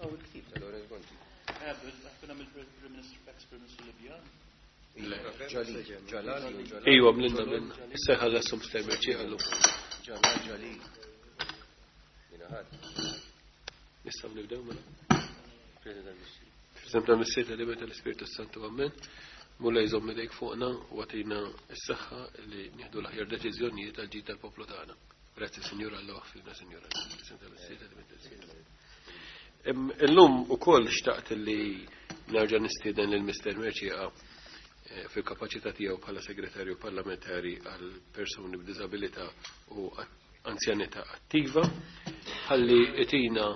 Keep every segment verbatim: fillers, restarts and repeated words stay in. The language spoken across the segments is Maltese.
Hawn il-ktib ta' Lawrence Gonzi. Prim Ministru, ex-Prim Ministru Libjan. Ġalil, Ġalal, Ġalal. Iwa, mlinna, mlinna. Issa ħallasum Mister Mercieca llum. Ġalal, Ġalil. Jiena ħadd. Nistgħu nibdew mela. President Missir. F'isem tal-Missier, tal-Iben, tal-Ispirtu Santu, Amen. Mulej, żomm idejk fuqna u agħtina s-saħħa li nieħdu l-aħjar deċiżjonijiet għal ġid tal-poplu tagħna. Grazzi, Sinjur Alla, aħfrilna, Sinjur Alla. F'isem tal-Missier, tal-Iben, tal-Ispirtu Santu. Illum ukoll xtaqt li nerġa' nistieden lil Mister Mercieca eh, fil-kapaċità tiegħu bħala segretarju parlamentari għal persuni b'diżabilità u anzjanità attiva, ħalli itina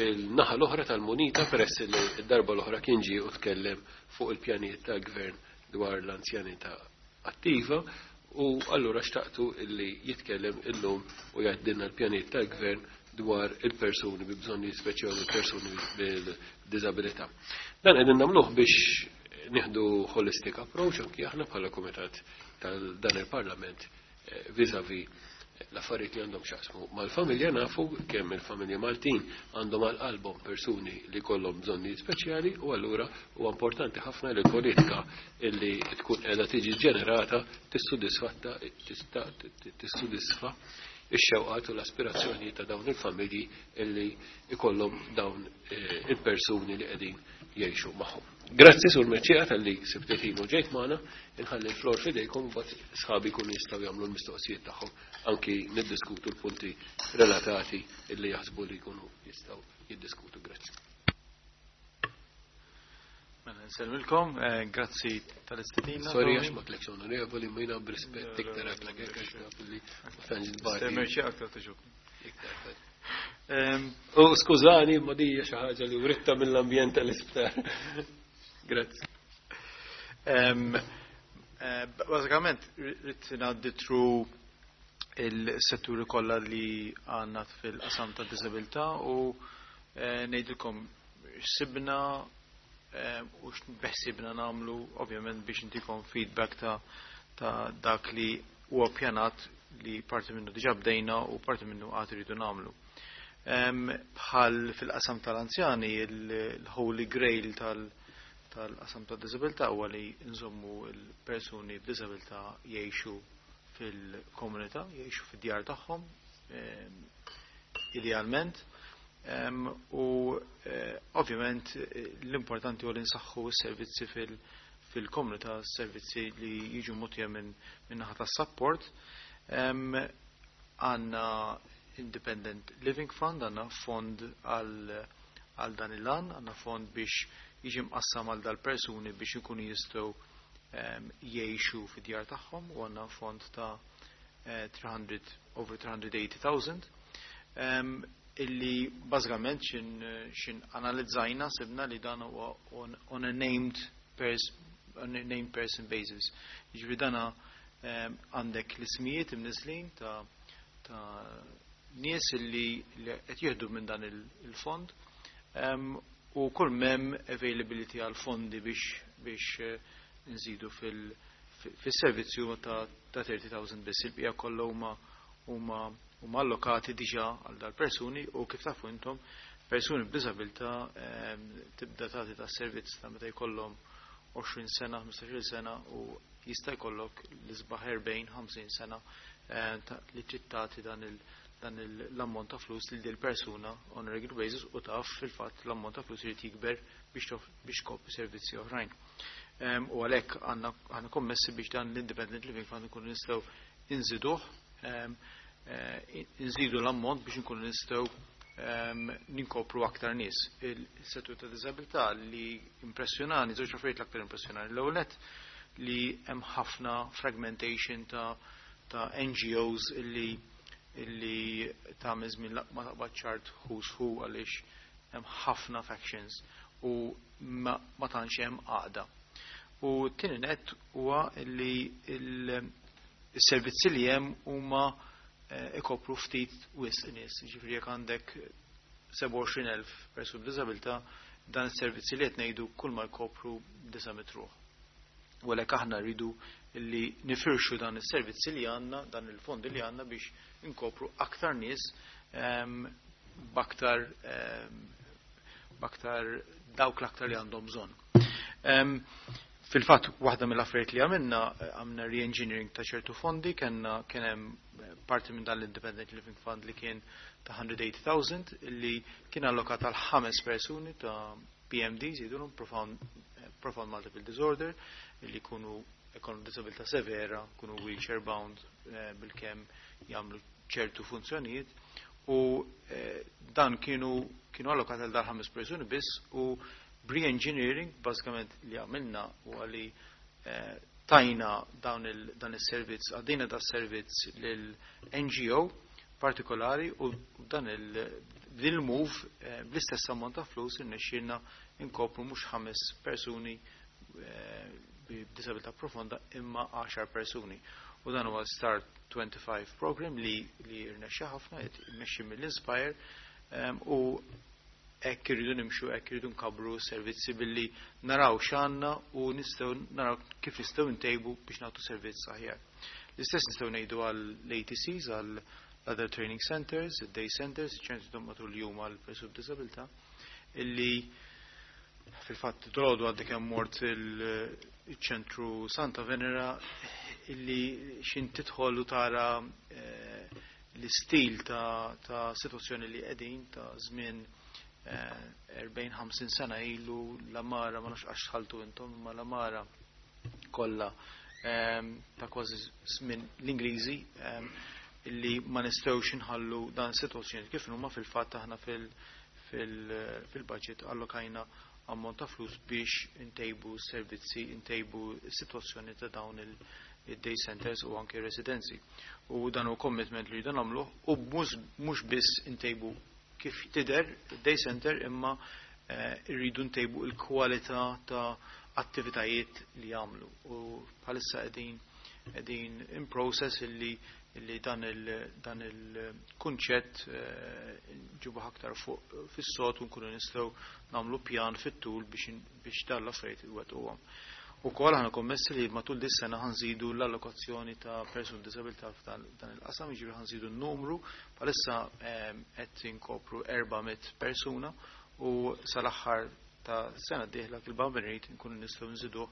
il-naħa l-oħra tal-munita, peress li d-darba l-oħra kien ġie u tkellem fuq il-pjanijiet tal-gvern dwar l-anzjanità attiva, u allura xtaqtu illi jitkellem illum u jgħaddilna l-pjanijiet tal-gvern dwar il-persuni bi bżonni speċjali, il-persuni bil-diżabilità. Dan qegħdin nagħmluh biex nieħdu holistic approach anki aħna bħala kumitat tal-dan il-Parlament eh, vis-a-vis l-affarijiet li għandhom x'jaqsmu mal-familja. Nafu kemm il-familji Maltin għandhom għal qalbhom persuni li kollhom bżonnijiet speċjali, u allura huwa importanti ħafna li l-politika illi tkun qiegħda tiġi ġenerata tissodisfatta tista' tissodisfa ix-xewqat u l-aspirazzjoni ta' dawn il-familji illi ikollhom dawn eh, il-persuni li qegħdin jgħixu magħhom. Grazzi, Sur Mercieca, talli sibt il-ħin u ġejt magħna, inħalli l-flor fidejkom, mbagħad sħabi jkunu jistgħu jagħmlu l-mistoqsijiet tagħhom, anki niddiskutu l-punti relatati illi jaħsbu li jkunu jistgħu jiddiskutu. Grazzi. Mela, nsellmilkom, eh, grazzi tal-istedina. Sorry għax ma tlekx onorevoli, ma jiena b'rispett iktar għatlek hekk għax naf li ma tantx tbati. Mister Mercieca aktar togħġobni. Iktar. Ehm, U skużani, ma dija xi ħaġa li writta mill-ambjent tal-isptar. Grazzi. Ehm, eh, bażikament rrid ngħaddi through il-setturi kollha li għandna fil-qasam ta' disabilità u eh, ngħidilkom x'sibna eh, u x'beħsibna nagħmlu, ovvjament biex intikom feedback ta' ta' dak li huwa pjanat, li parti minnu diġà bdejna u parti minnu għad iridu nagħmlu. Bħal fil-qasam tal-anzjani, il-holy grail tal- tal-qasam ta' disabilità huwa li nżommu l-persuni b'disabilità jgħixu fil-komunità, jgħixu fid-djar tagħhom, idealment. U eh, ovvjament eh, l-importanti huwa li nsaħħu s-servizzi fil-komunità, s-servizzi li jiġu mogħtija minn naħa tas-support. Għandna Independent Living Fund, għandna fond għal dan il-għan, għandna fond biex jiġi mqassam għal dal-persuni biex ikunu jistgħu jgħixu fid-djar tagħhom, u għandna fond ta' three hundred, over three hundred eighty thousand, illi bażikament xin xin analizzajna sibna li dan huwa on, on a named pers on a named person basis. Jiġifieri dana għandek l-ismijiet imniżlin ta' ta' nies illi qed jieħdu minn dan il-fond u kull m'hemm availability għal fondi biex biex eh, nżidu fil-servizzu ta' thirty thousand biss. Il-bqija kollha huma huma huma allokati diġà għal dal-persuni, u kif tafu intom, persuni b'diżabilità tibda tagħti ta' servizz ta' meta jkollhom għoxrin sena, ħmistax-il sena, u jista' jkollok l-isbaħ erbgħin, ħamsin sena li trid tagħti dan il dan l-ammont ta' flus lil dil persuna on a regular basis, u taf fil-fatt l-ammont ta' flus irid jikber biex biex tkopri servizzi oħrajn. U għalhekk għandna kommessi biex dan l-Independent Living Fund nkunu nistgħu inżiduh, inżidu l-ammont biex nkunu nistgħu ninkopru aktar nies. Il-settur ta' disabilità li impressjonani, żewġ affarijiet l-aktar impressjonani. L-ewwel nett li hemm ħafna fragmentation ta' ta' N G Os illi illi ta' żmien ma taqbad ċart who's who, għaliex hemm ħafna factions u ma, ma tantx hemm għaqda. U tieni net huwa li il-servizzi li hemm huma eh, ikopru ftit wisq nies. Ġifieri jekk għandek sebgħa u għoxrin elf persuna b'diżabilità, dan is-servizzi li qed ngħidu kull ma jkopru disa' mitt ruħ. U għalhekk aħna rridu li nifirxu dan is-servizzi li għandna, dan il-fondi li għandna, biex inkopru aktar nies b'aktar b'aktar dawk l-aktar li għandhom bżonn. Fil-fatt, waħda mill-affarijiet li għamilna, għamilna re-engineering ta' ċertu fondi, kellna kien hemm parti minn dan l-Independent Living Fund li kien ta' mija u tmenin elf li kien allokat għal ħames persuni ta' P M Ds, jgħidulhom profound, profound Multiple Disorder, li jkunu jkunu disabilità severa, kunu wheelchair bound, eh, bil-kemm jagħmlu ċertu funzjonijiet u eh, dan kienu kienu allokat għal dal ħames persuni biss. U re-engineering bażikament li għamilna u għalli eh, tajna dawn il, dan il-servizz, għaddejna da servizz lil-N G O partikolari u dan il-move eh, bl-istess ammont ta' flus irnexxielna inkopru mhux ħames persuni eh, b'disabilità profonda imma għaxar persuni. U dan huwa Start twenty-five program li li rnexxa ħafna, qed immexxi mill-Inspire um, u hekk irridu nimxu, hekk irridu nkabbru servizzi billi naraw x'għandna u nistgħu naraw kif nistgħu ntejbu biex nagħtu servizz aħjar. L-istess nistgħu ngħidu għal A T Cs, għal Other Training Centers, Day Centers, ċentri matul jum għal persuni b'disabilità, illi fil-fatt dalgħodu għaddi kemm mort il-ċentru Santa Venera, illi xin tidħol u tara eh, l-istil ta', ta situazzjoni li qegħdin ta' żmien erbgħin ħamsin sena ilu, l-għamara, ma nafx għax dħaltu intom, ma l-għamara kollha ta' kważi żmien l-Ingliżi, illi ma nistgħux inħallu dan situazzjoni kif huma. Fil-fatt aħna fil-budget allokajna ammont ta' flus biex intejbu servizzi, intejbu situazzjoni ta' dawn il-day centers u anke residenzi. U dan hu commitment li dan nagħmluh u mhux biss intejbu kif tidher day center imma eh, irridu ntejbu il-kwalità ta' attivitajiet li jagħmlu. U bħalissa qegħdin qegħdin in process illi illi dan il dan il-kunċett eh, nġibu aktar fuq fis-sod u nkunu nistgħu nagħmlu pjan fit-tul biex biex dan l-affarijiet iwettquhom. Ukoll aħna kommessi li matul dis sena ħa nżidu l-allokazzjoni ta' persuni b'disabilità f'dan il-qasam, jiġifieri ħa nżidu n-numru. Bħalissa qed inkopru erba' mitt persuna u sal-aħħar ta' sena d-dieħla kil-Bambin nkunu nistgħu nżiduh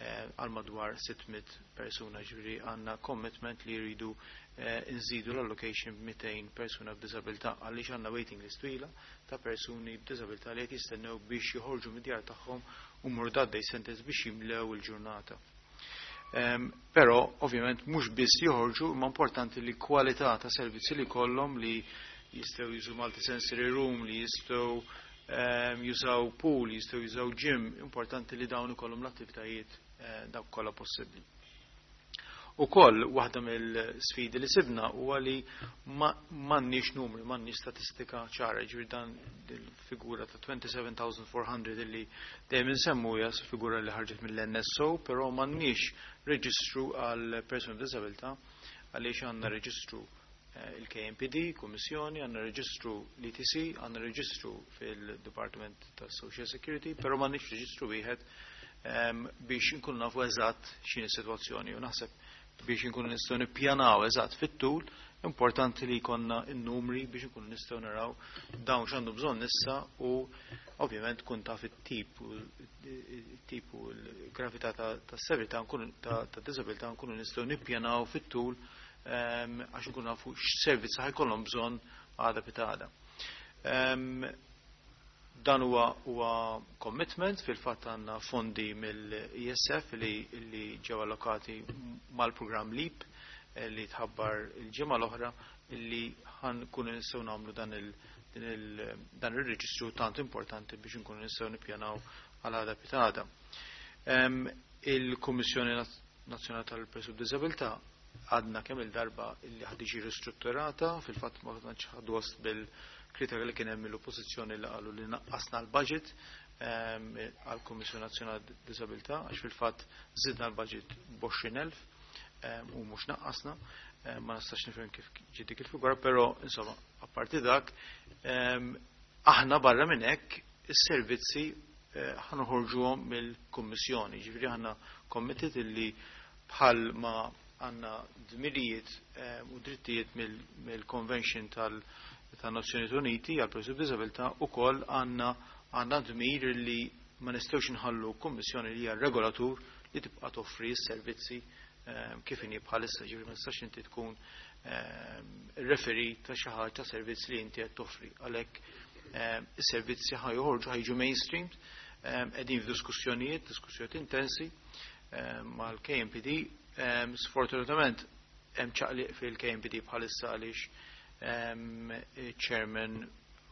eh, għal madwar sitt mitt persuna, ġifieri għandna commitment li jridu eh, nżidu l-allocation b'mitejn persuna b'disabilità għaliex għandna waiting list twila ta' persuni b'disabilità li qed jistennew biex joħorġu mid-djar tagħhom u jmorru day centers biex jimlew il-ġurnata. Um, però, ovvjament, mhux biss joħorġu, imma importanti li kwalità ta' servizzi li kollhom, li jistgħu jużu multisensory room, li jistgħu um, jużaw pool, jistgħu jużaw gym, importanti li dawn ikollhom l-attivitajiet uh, dawk kollha possibbli. Ukoll waħda mill-sfidi li sibna huwa li m'għandniex numri, m'għandniex statistika ċara, ġifieri dan il-figura ta' twenty-seven thousand four hundred illi dejjem insemmu hija figura li ħarġet mill-N S O, però m'għandniex reġistru għal persuni b'disabilità għaliex għandna reġistru eh, il-K M P D, Kummissjoni, għandna reġistru l-E T C, għandna reġistru fil-Department ta' Social Security, però m'għandniex reġistru wieħed ehm, biex nkunu nafu eżatt x'inhi s-sitwazzjoni u naħseb biex nkunu nistgħu nippjanaw eżatt fit-tul, importanti li jkollna n-numri biex nkunu nistgħu naraw dawn x'għandu bżonn issa u ovvjament kun taf it-tip u it-tip u l-gravità ta' severità ta' disabilità, nkunu nistgħu nippjanaw fit-tul ehm, għax nkunu nafu x'servizz ħa jkollhom bżonn għada pitgħada. Ehm, dan huwa huwa commitment. Fil-fatt għandna fondi mill-E S F li, li ġew allokati mal-programm LEAP eh, li tħabbar il-ġimgħa l-oħra, li ħa nkunu nistgħu nagħmlu dan il dan il-reġistru tant importanti biex nkunu nistgħu nippjanaw għal għada pitgħada. Il-Kummissjoni Nazzjonali tal-Persuni b'Disabilità għadna kemm il-darba illi ħa tiġi ristrutturata. Fil-fatt ma tantx ħadu bil kritika li kien hemm mill-oppożizzjoni li qalu li naqqasna l-budget għall-Kummissjoni Nazzjonali Disabilità, għax fil-fatt żidna l-budget b'għoxrin elf u mhux naqqasna. Ma nistax nifhem kif ġiet dik il-figura, però insomma, apparti dak, aħna barra minn hekk is-servizzi eh, ħa noħorġuhom mill-Kummissjoni, ġifieri aħna committed illi bħal ma għandna dmirijiet u drittijiet mill-Convention tal- tan-Nazzjonijiet Uniti għal persuni b'disabilità, ukoll għandna għandna dmir li ma nistgħux inħallu kummissjoni li hija regolatur li tibqa' toffri s-servizzi kif inhi bħalissa, ġifieri ma tistax inti tkun referee ta' xi ħaġa ta' servizz li inti qed toffri. Għalhekk is-servizzi ħa joħorġu, ħa jiġu mainstreamed, qegħdin f'diskussjonijiet, diskussjonijiet intensi mal-K M P D. Sfortunatament hemm ċaqliq fil-K M P D bħalissa għaliex chairman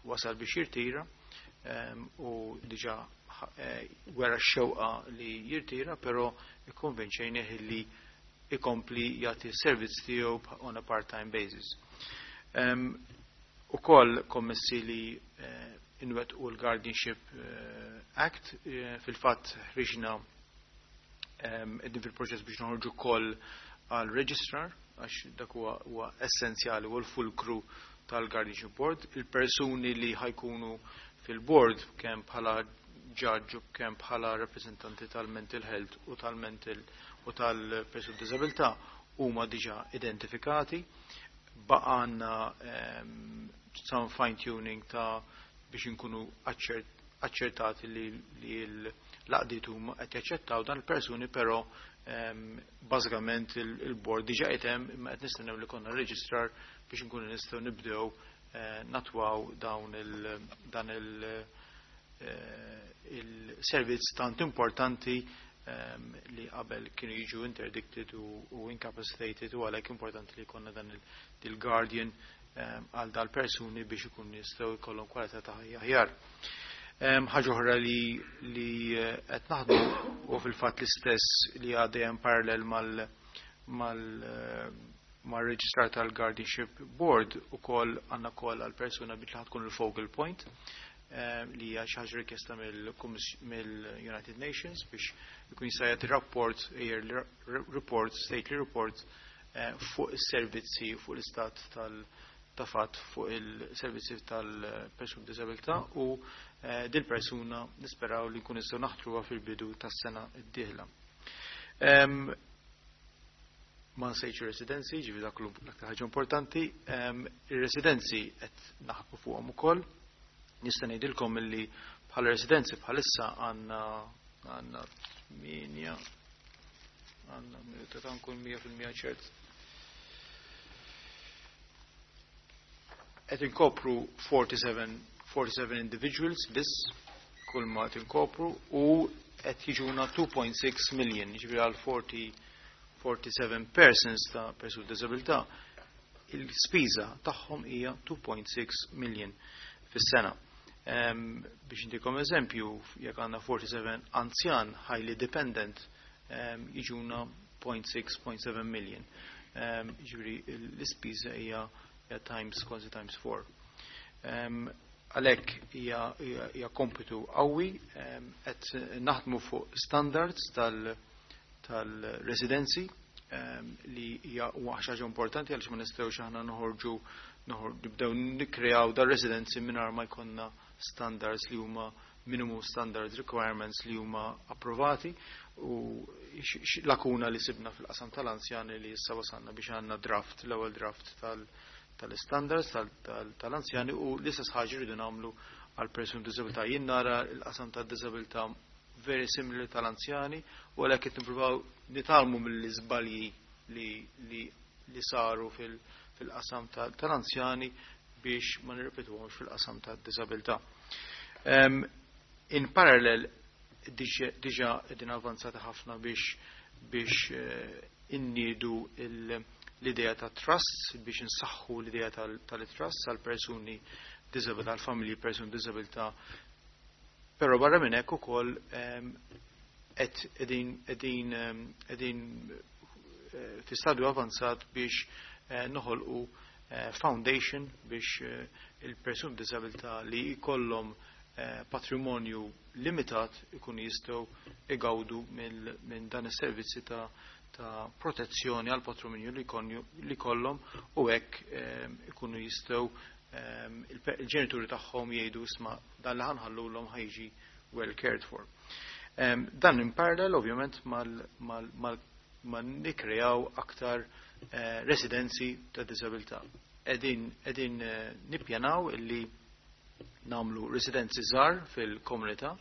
wasal biex jirtira u diġà wera x-xewqa li jirtira, però ikkonvinċejnieh li ikompli jagħti servizz tiegħu on a part-time basis. Ukoll kommessi li inwettqu l-Guardianship Act, fil-fatt ħriġna, qegħdin fil-proċess biex noħorġu call għal registrar, għax dak huwa essenzjali u l-fulkru tal-Guardianship Board. Il-persuni li ħa jkunu fil-board, kemm bħala judge u kemm bħala rappresentanti tal-mental health u tal-mental u tal-person disabilità, huma diġà identifikati. Baqgħalna um, some fine tuning ta' biex inkunu aċċertati li, li l-għaqdiet huma qed jaċċettaw dan il-persuni, però um, bażikament il-board diġà qed hemm, imma qed nistennew li jkollna registrar biex nkunu nistgħu nibdew eh, natwaw dawn il dan il eh, il-servizz tant importanti um, li qabel kienu jiġu interdicted u, u incapacitated, u għalhekk importanti li jkollna dan il-guardian għal dal-persuni biex ikun jistgħu jkollhom kwalità ta' ħajja aħjar. Ħaġa oħra li li qed naħdmu, u fil-fatt l-istess li għaddejjem parallel mal mal mal-registrar tal-Guardianship Board, ukoll għandna call għal persuna biex tkun il-focal point, li hija xi ħaġa rikjesta mill-United Nations biex ikun jista' jagħti rapport, yearly report, stately report fuq is-servizzi, fuq l-istat tal- ta' fatt fuq il-servizzi tal-persuni b'disabilità, u dil-persuna nisperaw li nkun nistgħu naħtruha fil-bidu tas-sena d-dieħla. Ma nsejtx residenzi, ġifieri dak l-aktar ħaġa importanti. Ir-residenzi qed naħdmu fuqhom ukoll. Nista' ngħidilkom illi bħala residenzi bħalissa għandna għandna tmienja, għandna, ta' nkun mija fil-mija ċert. Qed inkopru forty-seven, forty-seven individuals biss kull ma qed inkopru, u qed jiġuna two point six million, jiġifieri għal forty, forty-seven persons ta' persuni b'disabilità il-spiża tagħhom hija two point six million fis-sena. Um, biex intikom eżempju, jekk għandna forty-seven anzjan highly dependent, um, jiġuna zero point six, zero point seven million. Um, ġifieri l-ispiża hija times, kważi times four. Um, għalhekk hija, hija kompitu qawwi, qed naħdmu fuq standards tal tal-residenzi um, li hija huwa ħaġa importanti għaliex ma nistgħux aħna noħorġu nibdew nikkreaw dar residenzi mingħajr ma jkollna standards li huma minimum standards requirements li huma approvati, u lakuna li sibna fil-qasam tal-anzjani li issa wasalna biex għandna draft, l-ewwel draft tal- tal-standards tal-anzjani, u l-istess ħaġa rridu nagħmlu għal persuni b'disabilità. Jien nara l-qasam tad-disabilità very similar tal-anzjani, u għalhekk qed nippruvaw nitgħallmu mill-iżbalji li, li, li saru fil-qasam tal-anzjani biex ma nirrepituhomx fil-qasam tad-disabilità. Um, in parallel diġa qegħdin avanzata ħafna biex biex uh, inniedu l-idea ta' trust, biex insaħħu l-idea tal-trust għal persuni disabilità, għal familji persuni disabilità. Però barra minn hekk ukoll qed qegħdin qegħdin qegħdin fi stadju avanzat biex noħolqu foundation biex il-persuni b'disabilità li jkollhom patrimonju limitat ikun jistgħu igawdu minn dan is-servizzi ta' ta' protezzjoni għal patrimonju li, li kollhom, u hekk ikunu jistgħu il-ġenituri tagħhom jgħidu, "Isma', dan li ħa nħallulhom ħa jiġi well cared for." Dan in parallel ovvjament mal, mal, mal, ma nikkreaw aktar eh, residenzi ta' disabilità. Qegħdin, qegħdin eh, nippjanaw illi nagħmlu residenzi żgħar fil-komunità.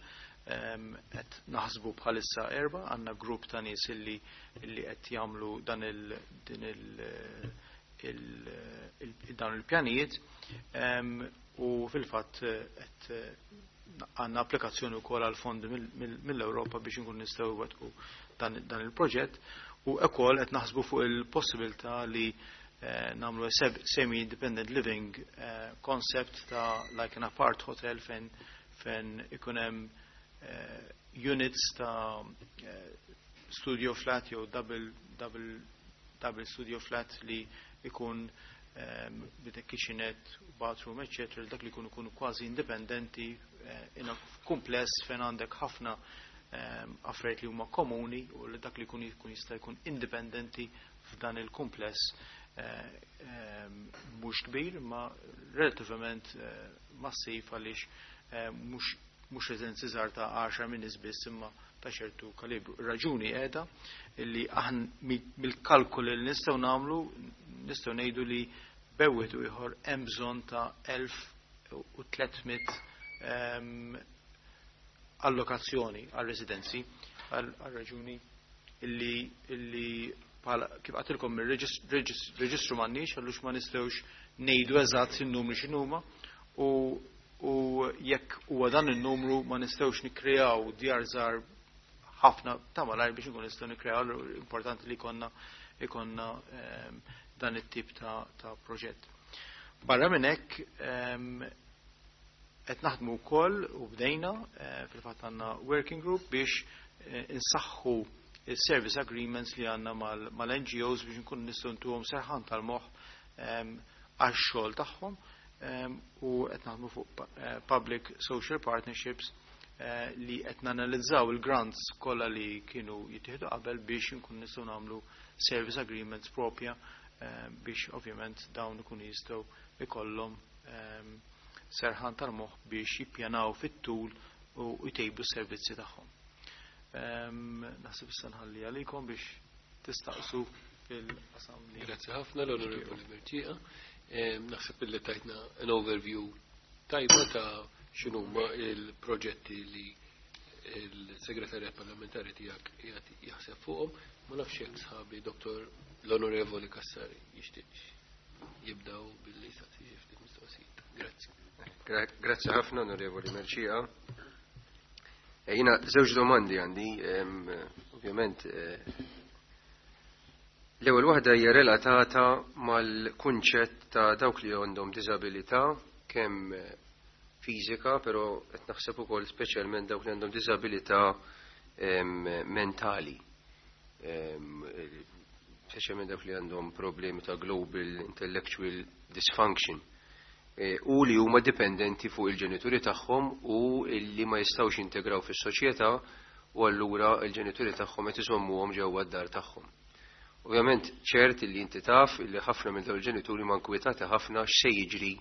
Qed naħsbu bħalissa erba, għandna grupp ta' nies illi illi qed jagħmlu dan il din il, il, il dawn il-pjanijiet u fil-fatt qed għandna applikazzjoni wkoll għal fondi mill-Ewropa biex inkun nistgħu nwettqu dan, dan il-proġett u wkoll qed naħsbu fuq il-possibilità li eh, nagħmlu semi-independent living eh, concept ta' like an apart hotel fejn fejn ikun hemm eh, units ta' eh, studio flat jew double double double studio flat li ikun um, with a kitchenette, bathroom, etc. Dak li jkunu kunu kważi indipendenti eh, in a kumpless fejn għandek ħafna um, affarijiet li huma komuni u li dak li jkun jkun jista' jkun indipendenti f'dan il-kumpless eh, um, mhux kbir ma relativament eh, massiv għaliex eh, mhux mhux residenzi żgħar ta' għaxar minn nies biss imma ta' ċertu kalibru. Ir-raġuni qiegħda illi aħna mill-kalkoli li nistgħu nagħmlu nistgħu ngħidu li bejn wieħed u ieħor hemm bżonn ta' elf u tliet mitt um, allokazzjoni għal residenzi għal raġuni illi illi bħala kif għedtilkom ir-reġistru m'għandniex, għallux ma nistgħux ngħidu eżatt in-numri x'inhuma u u jekk huwa dan in-numru ma nistgħux nikkreaw djar żgħar ħafna ta' malajr biex nkun nistgħu nikkreaw. Importanti li jkollna ikonna um, dan it-tip ta', ta' proġett. Barra minn hekk um, qed naħdmu wkoll u bdejna uh, fil-fatt għandna working group biex uh, insaħħu il-service agreements li għandna mal-N G Os biex nkun nistgħu ntuhom serħan tal-moħħ um, għax-xogħol tagħhom um, u qed naħdmu fuq uh, public social partnerships uh, li qed nanalizzaw il-grants kollha li kienu jittieħdu qabel biex nkun nistgħu nagħmlu service agreements propja uh, biex ovvjament dawn ikunu jistgħu ikollhom um, serħan tal-moħħ biex jippjanaw fit-tul u jtejbu s-servizzi tagħhom. Um, Naħseb issa nħalli għalikom biex tistaqsu fil-qasam li. Grazzi ħafna l-Onorevoli Mercieca. Naħseb illi tajtna an overview tajba ta' x'inhuma il-proġetti li il-segretarjat parlamentari tiegħek qiegħed jaħseb fuqhom. Ma nafx jekk sħabi Doktor l-Onorevoli Cassar jixtieq jibdaw billi saqsi xi ftit mistoqsijiet. Grazzi. Grazzi ħafna, Onorevoli Mercieca. Jiena żewġ domandi għandi, ovvjament. L-ewwel waħda hija relatata mal-kunċett ta' dawk li għandhom diżabilità kemm fiżika, però qed naħseb ukoll speċjalment dawk li għandhom diżabilità mentali. Speċjalment dawk li għandhom problemi ta' global intellectual dysfunction u li huma dipendenti fuq il-ġenituri tagħhom u li ma jistgħux jintegraw fis-soċjetà u allura il-ġenituri tagħhom qed iżommuhom ġewwa d-dar tagħhom. Ovvjament ċert li inti taf li ħafna minn dawn il-ġenituri ma nkwetati ħafna x'se jiġri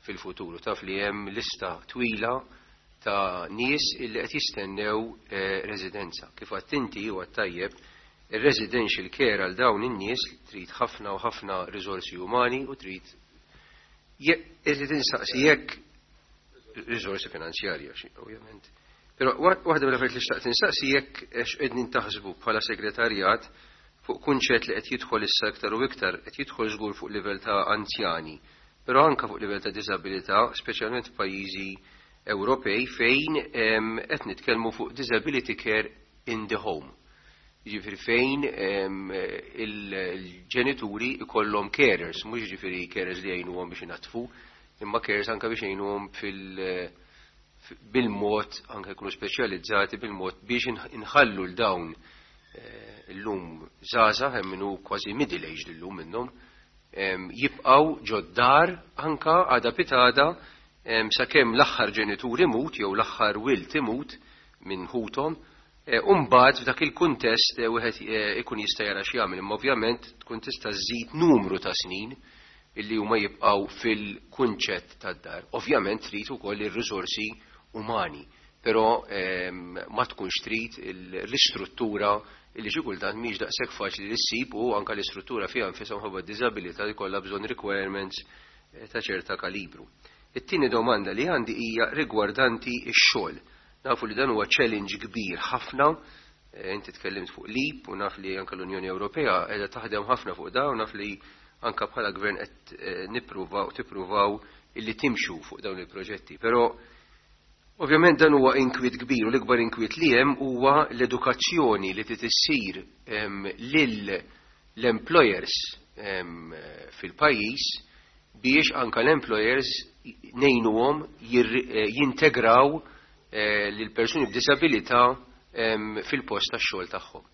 fil-futur. Taf li hemm lista twila ta' nies illi qed jistennew eh, residenza. Kif għedt inti huwa tajjeb, il-residential care għal dawn in-nies trid ħafna u ħafna riżorsi umani u trid irrid insaqsi jekk riżorsi finanzjarja, ovvjament. Però waħda mill-affarijiet li xtaqt insaqsi jekk x'qegħdin taħsbu bħala segretarjat fuq kunċett li qed jidħol issa iktar u iktar, qed jidħol żgur fuq livell ta' anzjani, però anka fuq livell ta' diżabilità, speċjalment f'pajjiżi Ewropej fejn qed nitkellmu fuq disability care in the home. Jiġifieri fejn il-ġenituri ikollhom carers, mhux jiġifieri carers li jgħinuhom biex inaddfu, imma carers anka biex jgħinuhom fil- bil-mod anke jkunu speċjalizzati bil-mod biex inħallu l dawn illum żgħażagħ, hemm minnu kważi middle age illum minnhom, jibqgħu ġod-dar anka għada pitgħada sakemm l-aħħar ġenitur imut jew l-aħħar wild imut minn ħuthom. Umbagħad f'dak il-kuntest wieħed ikun jista' jara x'jagħmel, imma ovvjament tkun tista' żżid numru ta' snin illi huma jibqgħu fil-kunċett tad-dar. Ovvjament trid ukoll ir-riżorsi umani, però ma tkunx trid l-istruttura illi xi kultant mhix daqshekk faċli li ssib u anke l-istruttura fiha nfisha minħabba diżabilità li kollha bżonn requirements ta' ċerta kalibru. It-tieni domanda li għandi hija rigwardanti x-xogħol. Nafu li dan huwa challenge kbir ħafna, inti tkellimt fuq LEAP u naf li anke l-Unjoni Ewropea qiegħda taħdem ħafna fuq da u naf li anke bħala gvern qed nippruvaw tippruvaw illi timxu fuq dawn il-proġetti. Però ovvjament dan huwa inkwiet kbir u l-ikbar inkwiet li hemm huwa l-edukazzjoni li trid issir lil l-employers fil-pajjiż biex anka l-employers ngħinuhom jintegraw lil persuni b'disabilità fil-post tax-xogħol tagħhom.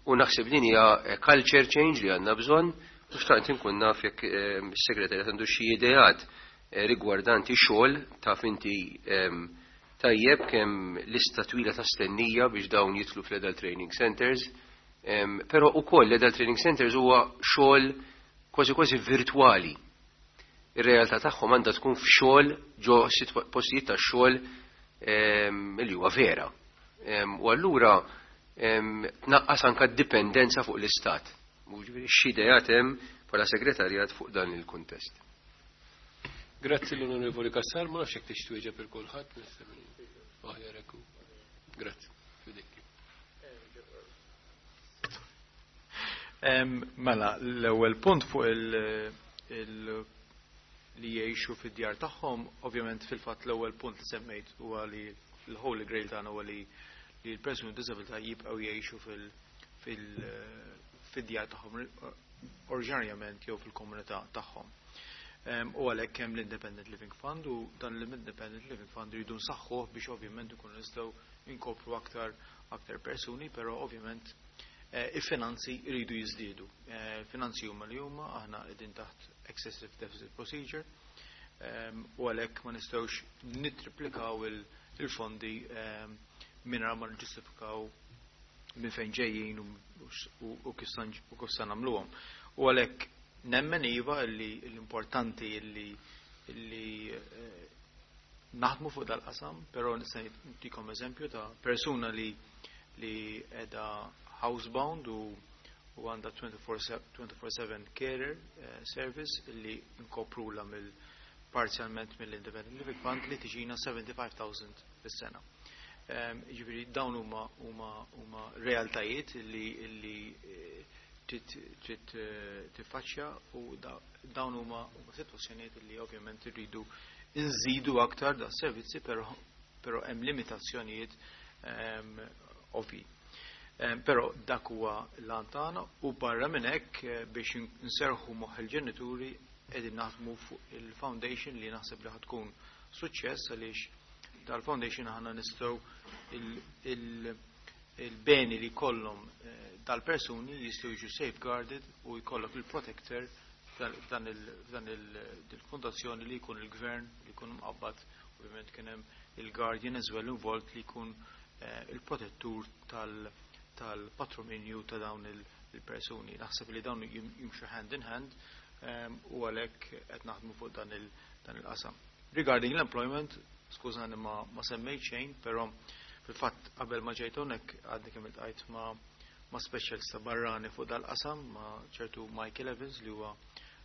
U naħseb din hija culture change li għandna bżonn u xtaqt inkun naf jekk is-segretarjat għandu xi ideat rigwardanti xogħol taf inti tajjeb kemm lista twila ta' stennija biex dawn jidħlu fl-Adult Training Centers, però ukoll l-Adult Training Centers huwa xogħol kważi kważi virtwali. Ir-realtà tagħhom għandha tkun f'xogħol ġo postijiet ta' xogħol li huwa vera. U allura tnaqqas anke d-dipendenza fuq l-istat. Ġifieri x'idejat hemm bħala segretarjat fuq dan il-kuntest. Grazzi l-Onorevoli Cassar, ma nafx jekk tixtieq twieġeb il kulħadd. Aħjar hekk. Grazzi. Fidejk. Mela, l-ewwel punt fuq il li jgħixu fid-djar tagħhom, ovvjament fil-fatt l-ewwel punt li semmejt huwa li l-Holy Grail tagħna huwa li l-persuni b'diżabilità jibqgħu jgħixu fid-djar tagħhom oriġinarjament jew fil-komunità tagħhom. U għalhekk hemm l-Independent Living Fund u dan l-Independent Living Fund rridu nsaħħuh biex ovvjament ikunu nistgħu inkopru aktar aktar persuni, però ovvjament il-finanzi jridu jiżdiedu. Il-finanzi huma li huma, aħna qegħdin taħt excessive deficit procedure u għalhekk ma nistgħux nittriplikaw il-fondi mingħajr ma niġġustifikaw minn fejn ġejjin u kif se nagħmluhom. U għalhekk nemmen iva li l-importanti li naħdmu fuq dal-qasam, però nista' ntikom eżempju ta' persuna li li qiegħda housebound u u għandha twenty-four seven carer service li nkoprula mill parzjalment mill-Independent Living Fund li tiġina seventy-five thousand fis-sena. Jiġifieri dawn huma huma huma realtajiet li li trid tiffaċċja u dawn huma sitwazzjonijiet li ovvjament irridu nżidu aktar da servizzi, però però hemm limitazzjonijiet ovvji. Però dak huwa l-għan tagħna u barra minn hekk biex nserħu moħħ il-ġenituri qegħdin naħdmu fuq il-foundation li naħseb li ħatkun suċċess għaliex dal-foundation aħna nistgħu il-beni li jkollhom dal-persuni jistgħu jiġu safeguarded u jkollok il-protector f'dan il-fondazzjoni li jkun il-gvern li jkun mqabbad, ovvjament kien hemm il-guardian as well involved li jkun il-protettur tal- tal-patrominju ta' dawn il-persuni. Naħseb li dawn jimxu hand in hand u għalhekk qed naħdmu fuq dan il-qasam. Regarding l-employment, skużani ma, ma semmejt xejn, però fil-fatt qabel ma ġejt hawnhekk għadni kemm iltqajt ma, ma specialist ta' barrani fuq dal-qasam, ma ċertu Michael Evans li huwa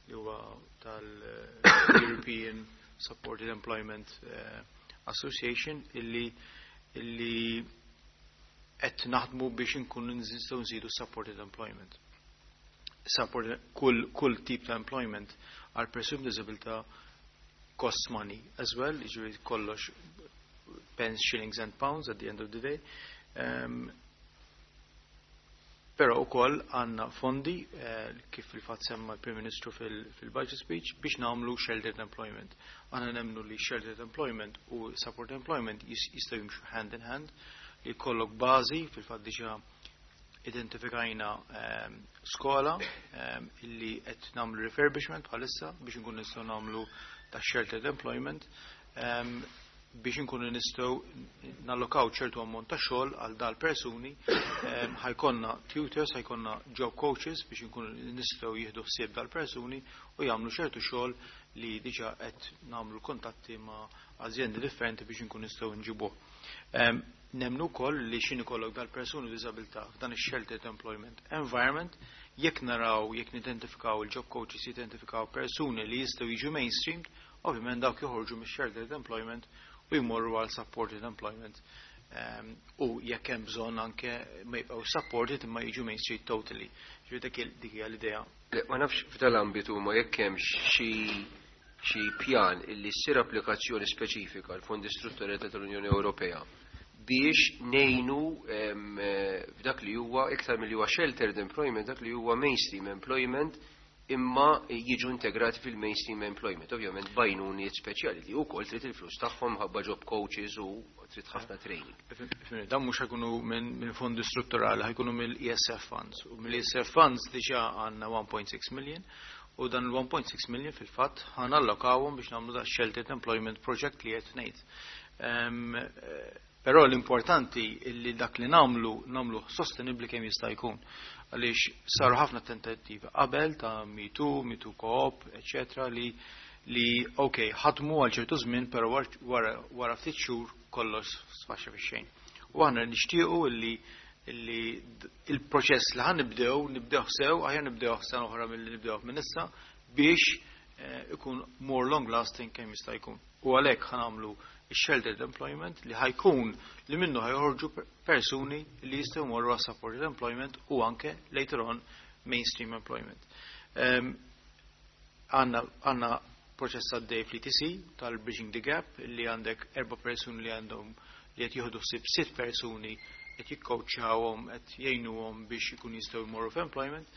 li huwa tal-European Supported Employment Association illi illi qed naħdmu biex inkunu nistgħu nżidu supported employment. Support, kull, kull tip ta' employment għal persuni b'diżabilità costs money as well, jiġifieri kollox pence, shillings and pounds at the end of the day. Um, però wkoll għandna fondi eh, kif fil-fatt semma l-Prim Ministru fil-budget speech biex nagħmlu sheltered employment. Aħna nemmnu li sheltered employment u support employment jistgħu jimxu hand in hand, li jkollok bażi fil-fatt diġà identifikajna um, skola um, illi qed nagħmlu refurbishment bħalissa biex nkun nistgħu nagħmlu ta' sheltered employment um, biex nkunu nistgħu nallokaw ċertu ammont ta' xogħol għal dal persuni, um, ħajkonna tutors, ħajkonna job coaches biex nkunu nistgħu jieħdu ħsieb dal persuni u jagħmlu ċertu xogħol li diġà qed nagħmlu kontatti ma' azjendi differenti biex nkunu nistgħu nġibuh. Um, Nemnu wkoll li x'inhi kollok dal-persuni b'diżabilità f'dan ix-sheltered employment environment, jekk naraw, jekk nidentifikaw il-job coaches jidentifikaw persuni li jistgħu jiġu mainstreamed, Ovvjament dawk joħorġu mix-sheltered employment u jmorru għal supported employment um, u jekk hemm bżonn anke ma jibqgħu supported imma jiġu mainstream totally. Ġifieri dik dik hija l-idea. Ma nafx f'dal-ambitu ma jekk hemm xi xi pjan illi ssir applikazzjoni speċifika għal fondi strutturali tal-Unjoni Ewropea biex ngħinu f'dak li huwa iktar milli huwa sheltered employment, dak li huwa mainstream employment imma jiġu integrati fil-mainstream employment. Ovvjament b'għajnuniet speċjali li wkoll trid il-flus tagħhom ħabba job coaches u trid ħafna training. Dan mhux ħa jkunu minn fondi strutturali, ħa jkunu mill-ESF funds. U mill-ESF funds diġà għandna one point six million u dan il-one point six million fil-fatt ħa nallokawhom biex nagħmlu da sheltered employment project li qed ngħid. Però l-importanti li dak li nagħmlu nagħmlu sostenibli kemm jista' jkun. Għaliex saru ħafna tentattivi qabel ta' Me Too, Me Too Co-op, eccetera li li ok, ħadmu għal ċertu żmien, però wara wara ftit xhur kollox sfaxxa fix-xejn. U aħna nixtiequ li li il-proċess li ħa nibdew, nibdew sew, aħjar nibdew sena oħra milli nibdew minn issa biex eh, ikun more long lasting kemm jista' jkun. U għalhekk ħa nagħmlu sheltered employment li ħa jkun li minnu ħa joħorġu persuni li jistgħu jmorru għas supported employment u anke later on mainstream employment. Għandna għandna proċess għaddej fl-E T C tal-Bridging the Gap li għandek erba persuni li għandhom li qed jieħdu ħsieb sitt persuni, qed jikkoċċawhom, qed jgħinuhom biex ikun jistgħu jmorru f'employment.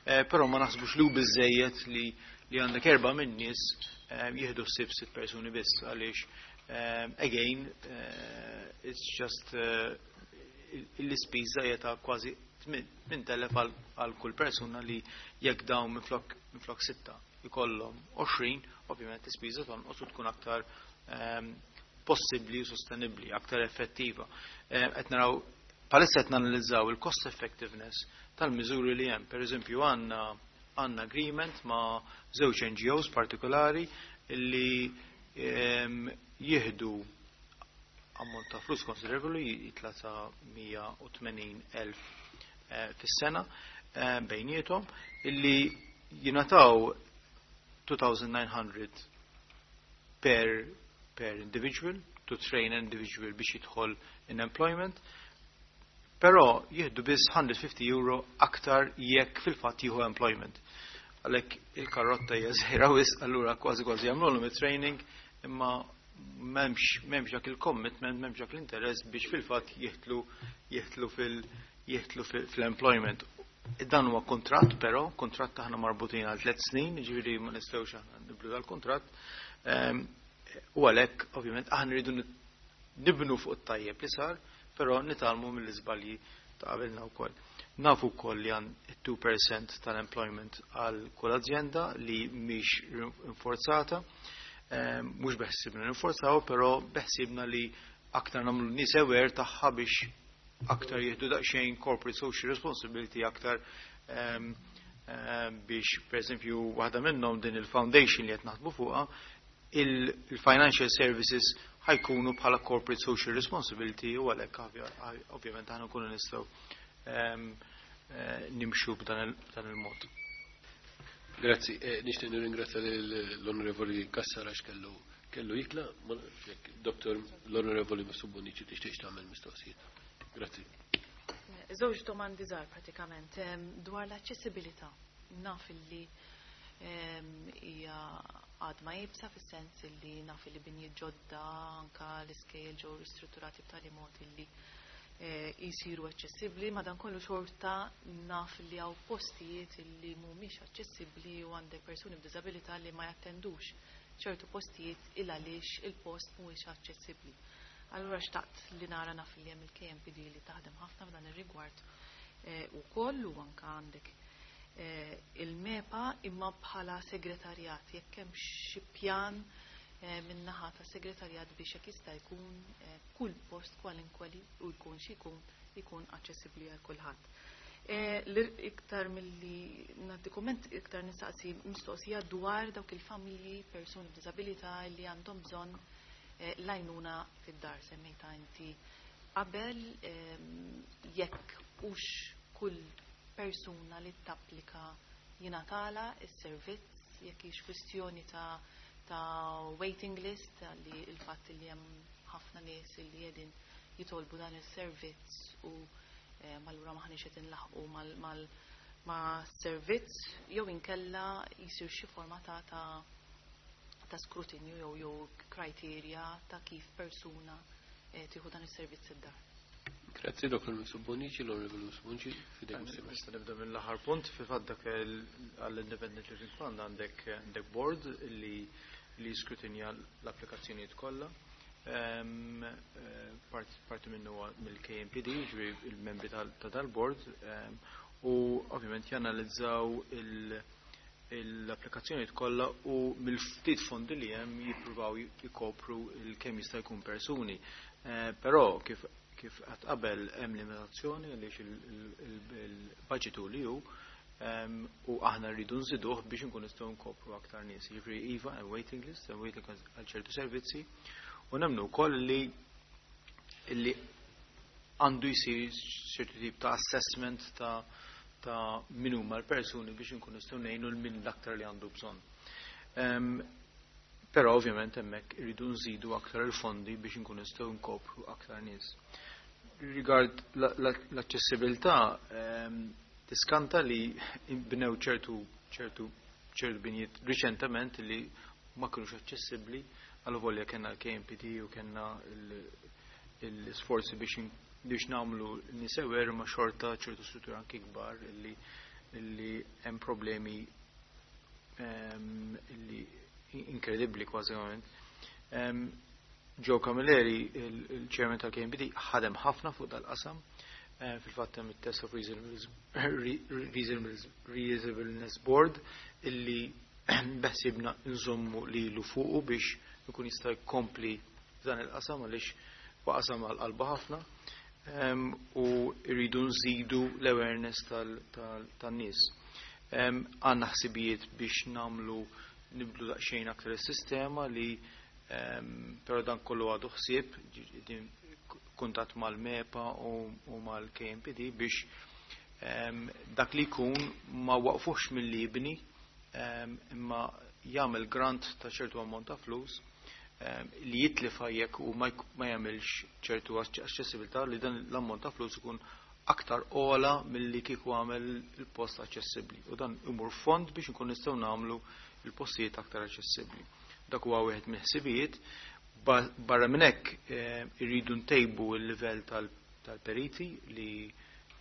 Eh, però ma naħsbux li hu biżejjed li li għandek erba' minn nies eh, jieħdu ħsieb sitt persuni biss għaliex um, again uh, it's just uh, l-ispiża hija ta' kważi tmien elef għal kull persuna li jekk dawn minflok minflok sitta jkollhom għoxrin, ovvjament l-ispiża tonqos u tkun aktar um, possibbli u sostenibbli, aktar effettiva. Qed naraw bħalissa, qed nanalizzaw il-cost effectiveness tal-miżuri li hemm. Per eżempju, għandna għandna agreement ma' żewġ N G Os partikolari li jieħdu ammont ta' flus konsiderevoli, jitla ta' mija u tmenin elf eh, fis-sena eh, bejniethom, illi jingħataw two thousand nine hundred per per individual to train an individual biex jidħol in employment, però jieħdu biss mija u ħamsin euro aktar jekk fil-fatt jieħu employment. Għalhekk il-karrotta hija żgħira wisq, allura kważi kważi jagħmluhom it-training imma m'hemmx m'hemmx dak il-commitment, m'hemmx dak l-interess biex fil-fatt jidħlu jidħlu fil jidħlu fil-employment. Dan huwa kontratt però, kontratt aħna marbutin għal tliet snin, ġifieri ma nistgħux aħna nibdlu dal-kontratt. Ehm, u għalhekk ovvjament aħna rridu nibnu fuq it-tajjeb li sar, però nitgħallmu mill-iżbalji ta' qabilna wkoll. Nafu wkoll li għandna two percent tal-employment għal kull azienda li mhix inforzata. Ehm, mhux beħsibna ninforzaw, però beħsibna li aktar nagħmlu nies aware tagħha biex aktar jieħdu daqsxejn corporate social responsibility aktar um, um, biex per eżempju waħda minnhom, din il-foundation li qed naħdmu fuqha, il-financial services ħa jkunu bħala corporate social responsibility u għalhekk ovvjament aħna nkunu nistgħu um, uh, nimxu b'dan il-mod. Grazzi, eh, nixtieq nirringrazzja l-Onorevoli Cassar għax kellu kellu jitlaq, ma nafx jekk Doktor l-Onorevoli Mifsud Bonnici tixtieq tagħmel mistoqsijiet. Grazzi. Żewġ domandi żgħar pratikament dwar l-aċċessibilità. Naf illi hija għadma iebsa fis-sens illi naf illi binji ġodda, anka l-iskejjel ġew ristrutturati b'tali mod illi jisiru aċċessibbli, madankollu xorta naf li hawn postijiet illi mhumiex aċċessibbli u għandek persuni b'diżabilità li ma jattendux ċertu postijiet il għaliex il-post mhuwiex aċċessibbli. Allura xtaqt li nara, naf li hemm il-K M P D li taħdem ħafna f'dan ir-rigward ukoll u anka għandek il-MEPA, imma bħala segretarjat jekk hemm xi pjan min-naħa ta' segretarjat biex jekk jista' jkun kull post kwalinkwe u jkun xi jkun jkun aċċessibbli għal kulħadd. Iktar milli nagħti kumment, iktar nistaqsi mistoqsija dwar dawk il-familji, persuni b'diżabilità li għandhom bżonn l-għajnuna fid-dar. Semmejta inti qabel, jekk hux kull persuna li tapplika jingħatala is-servizz, jekk hix kwistjoni ta' ta' waiting list li il-fatt li hemm ħafna nies li qegħdin jitolbu dan is-servizz u allura maħniex qed inlaħqu mal, mal ma' servizz jew inkella jisir xi forma ta' ta' ta' skrutinju jew jew kriterja ta' kif persuna eh, tieħu dan is-servizz id-dar. Grazzi, Doktor Mifsud Bonnici, l-Onorevole Mifsud Bonnici, f'idejk, Mister Nista' nibda mill-aħħar punt. Fil-fatt dak għall-Independent Living Fund għandek għandek board li li jiskrutinja l-applikazzjonijiet kollha. Um, part, parti minnu mill-K M P D, ġifieri il-membri ta' dal-board, um, u ovvjament janalizzaw l-applikazzjonijiet kollha u mill-ftit fondi li hemm jippruvaw jikopru il-kemm jista' jkun persuni. Eh, però kif kif għedt qabel, hemm limitazzjoni għaliex il-budget li hu u aħna rridu nżiduh biex nkun nistgħu nkopru aktar nies. Jiġifieri iva, hemm waiting list, hemm waiting għal ċertu servizzi u nemmnu wkoll li li għandu jsir ċertu tip ta' assessment ta' ta' min huma l-persuni biex nkun nistgħu ngħinu l min l-aktar li għandu bżonn. Um, però ovvjament hemmhekk irridu nżidu aktar il-fondi biex nkun nistgħu nkopru aktar nies. Rigward l-aċċessibilità, um, tiskanta li bnew ċertu ċertu ċertu binjiet riċentement li ma kienux aċċessibbli, għal volja kellna l-K M P D u kellna l-sforzi biex biex nagħmlu nies aware, ma xorta ċertu struttura anki kbar illi illi hemm problemi um, illi inkredibbli kważi. Um, Joe Camilleri, il-chairman tal-K M P D, ħadem ħafna fuq dal-qasam. Uh, Fil-fatt hemm it-Test of Reasonableness Board illi beħsibna nżommu lilu fuqu biex ikun jista' jkompli f'dan il-qasam, għaliex huwa qasam għal qalba ħafna u rridu nżidu l-awareness tan-nies. Għandna ħsibijiet biex nagħmlu, nibdlu daqsxejn aktar is-sistema li, però dan kollu għadu ħsieb, kuntatt mal-MEPA u mal-K M P D biex dak li jkun ma waqfux mill-li jibni imma jagħmel grant ta' ċertu ammont ta' flus li jitlifa jekk u ma jagħmilx ċertu aċċessibilità, li dan l-ammont ta' flus ikun aktar ogħla milli kieku għamel il-post aċċessibbli. U dan imur fond biex nkun nistgħu nagħmlu il-postijiet aktar aċċessibbli. Dak huwa wieħed mill-ħsibijiet. Barra minn hekk, eh, irridu ntejbu l-livell tal-periti li